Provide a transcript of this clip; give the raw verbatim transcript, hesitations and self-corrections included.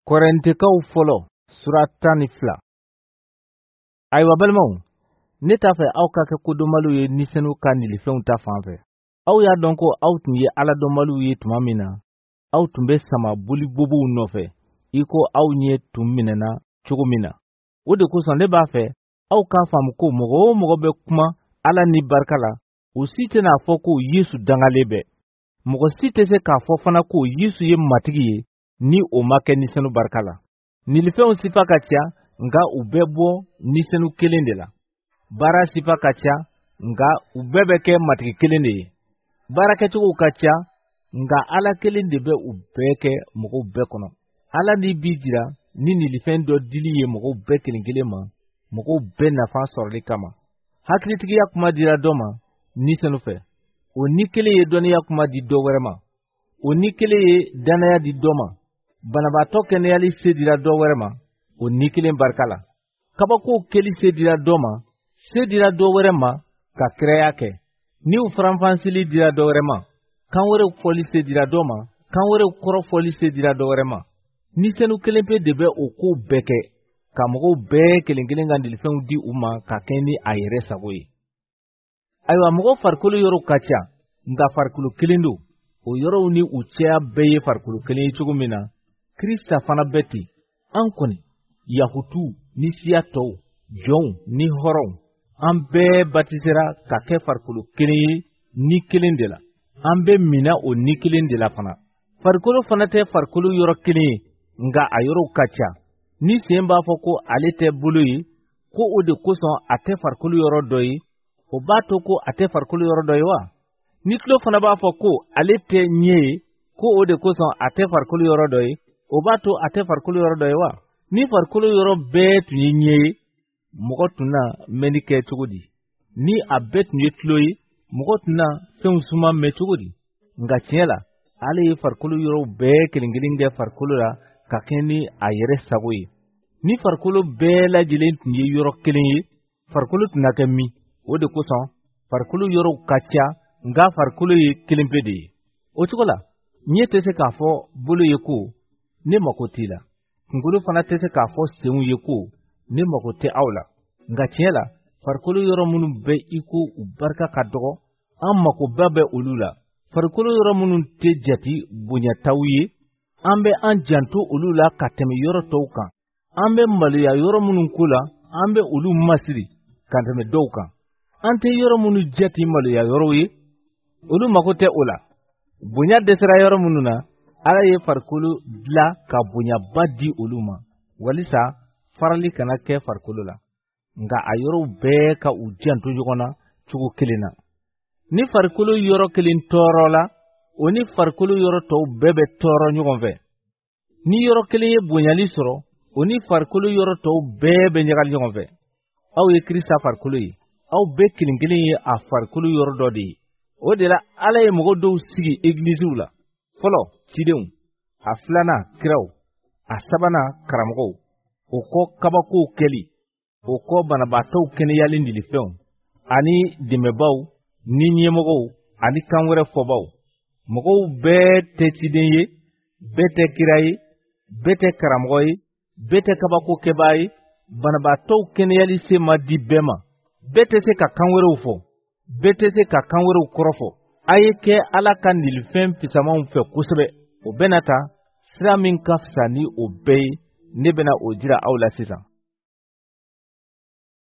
Kɔrɛntekaw fɔlɔ sura tan ni fila. Ayiwa balimaw, ne t'a fɛ aw ka kɛ kodɔnbaliw ye Ni Senu ka nilifɛnw ta fan fɛ. Aw y'a dɔn ko aw tun ye Ala dɔnbaliw ye tuma min na, aw tun bɛ sama bolibobow nɔfɛ, i ko aw ɲɛ tun minɛna cogo min na. O de kosɔn ne b'a fɛ aw k'a faamu ko mɔgɔ o mɔgɔ bɛ kuma Ala ni barika la, o si tɛna a fɔ ko Yesu dangalen bɛ. Mɔgɔ si tɛ se k'a fɔ fana ko Yesu ye Matigi ye ni o ma kɛ Ni Senu barika la. Nilifɛnw sifa ka ca, nka u bɛɛ bɔ Ni Senu kelen de la. Baara sifa ka ca, nka u bɛɛ bɛ kɛ Matigi kelen de ye. Baarakɛcogow ka ca, nka Ala kelen de bɛ u bɛɛ kɛ mɔgɔw bɛɛ kɔnɔ. Ala ni b'i jira ni nilifɛn dɔ dili ye mɔgɔw bɛɛ kelen kelen ma, mɔgɔw bɛɛ nafa sɔrɔli kama. Hakilitigiya kuma dira dɔ ma Ni Senu fɛ. O ni kelen ye dɔnniya kuma di dɔ wɛrɛ ma. O ni kelen ye dannaya di dɔ ma. Banabaatɔ kɛnɛyali se dira dɔ wɛrɛ ma, o ni kelen barika la. Kabakow kɛli se dira dɔ ma, se dira dɔ wɛrɛ ma ka kiraya kɛ. Niw faranfasili dira dɔ wɛrɛ ma, kan wɛrɛw fɔli se dira dɔ ma, kan wɛrɛw kɔrɔ fɔli se dira dɔ wɛrɛ ma. Ni Senu kelen pe de bɛ o kow bɛɛ kɛ, ka mɔgɔw bɛɛ kelen kelen ka nilifɛnw di u ma ka kɛɲɛ ni a yɛrɛ sago ye. Ayiwa, mɔgɔ farikolo yɔrɔw ka ca, nka farikolo kelen don. O yɔrɔw ni u cɛya bɛɛ ye farikolo kelen ye cogo min na, Krista fana bɛ ten. An kɔni, Yahutuw ni siya tɔw, jɔnw ni hɔrɔnw, an bɛɛ batisera ka kɛ farikolo kelen ye ni kelen de la. An bɛ mina o ni kelen de la fana. Farikolo fana tɛ farikolo yɔrɔ kelen ye, nka a yɔrɔw ka ca. Ni sen b'a fɔ ko ale tɛ bolo ye, ko o de kosɔn a tɛ farikolo yɔrɔ dɔ ye, o b'a to ko a tɛ farikolo yɔrɔ dɔ ye wa? Ni tulo fana b'a fɔ ko ale tɛ ɲɛ ye, ko o de kosɔn a tɛ farikolo yɔrɔ dɔ ye, o b'a to a tɛ farikolo yɔrɔ dɔ ye wa? Ni farikolo yɔrɔ bɛɛ tun ye ɲɛ ye, mɔgɔ tun na mɛnni kɛ cogo di? Ni a bɛɛ tun ye tulo ye, mɔgɔ tun na fɛnw suma mɛn cogo di? Nka tiɲɛ la, Ala ye farikolo yɔrɔw bɛɛ kelen kelen kɛ farikolo la ka kɛɲɛ ni a yɛrɛ sago ye. Ni farikolo bɛɛ lajɛlen tun ye yɔrɔ kelen ye, farikolo tun na kɛ min? O de kosɔn farikolo yɔrɔw ka ca, nka farikolo ye kelen pe de ye. O cogo la, ɲɛ tɛ se k'a fɔ bolo ye ko ne mako t'i la. Kunkolo fana tɛ se k'a fɔ senw ye ko ne mako tɛ aw la. Nka tiɲɛ la, farikolo yɔrɔ minnu bɛ i ko u barika ka dɔgɔ, an makoba bɛ olu la. Farikolo yɔrɔ minnu tɛ jate bonyataw ye, an bɛ an janto olu la ka tɛmɛ yɔrɔ tɔw kan. An bɛ maloya yɔrɔ minnu ko la, an bɛ olu masiri ka tɛmɛ dɔw kan. An tɛ yɔrɔ minnu jate maloya yɔrɔw ye, olu mako tɛ o la. Bonya dɛsɛra yɔrɔ minnu na, Ala ye farikolo dila ka bonyaba di olu ma, walisa farali kana kɛ farikolo la, nka a yɔrɔw bɛɛ ka u janto ɲɔgɔn na cogo kelen na. Ni farikolo yɔrɔ kelen tɔɔrɔ la, o ni farikolo yɔrɔ tɔw bɛɛ bɛ tɔɔrɔ ɲɔgɔn fɛ. Ni yɔrɔ kelen ye bonyali sɔrɔ, o ni farikolo yɔrɔ tɔw bɛɛ bɛ ɲagali ɲɔgɔn fɛ. Aw ye Krista farikolo ye, aw bɛɛ kelen kelen ye a farikolo yɔrɔ dɔ de ye. O de la, Ala ye mɔgɔ dɔw sigi egilisiw la. Fɔlɔ, cidenw, a filanan, kiraw, a sabanan, karamɔgɔw, o kɔ kabakow kɛli, o kɔ banabaatɔw kɛnɛyali nilifɛnw, ani dɛmɛbaaw ni ɲɛmɔgɔw ani kan wɛrɛ fɔbaaw. Mɔgɔw bɛɛ tɛ ciden ye, bɛɛ tɛ kira ye, bɛɛ tɛ karamɔgɔ ye, bɛɛ tɛ kabako kɛbaa ye. Banabaatɔw kɛnɛyali se ma di bɛɛ ma. Bɛɛ tɛ se ka kan wɛrɛw fɔ, bɛɛ tɛ se ka kan wɛrɛw kɔrɔfɔ. A ye kɛ Ala ka nilifɛn fisamanw fɛ kosɛbɛ. O bɛna ta sira min ka fisa ni o bɛɛ ye, ne bɛna o jira aw la sisan.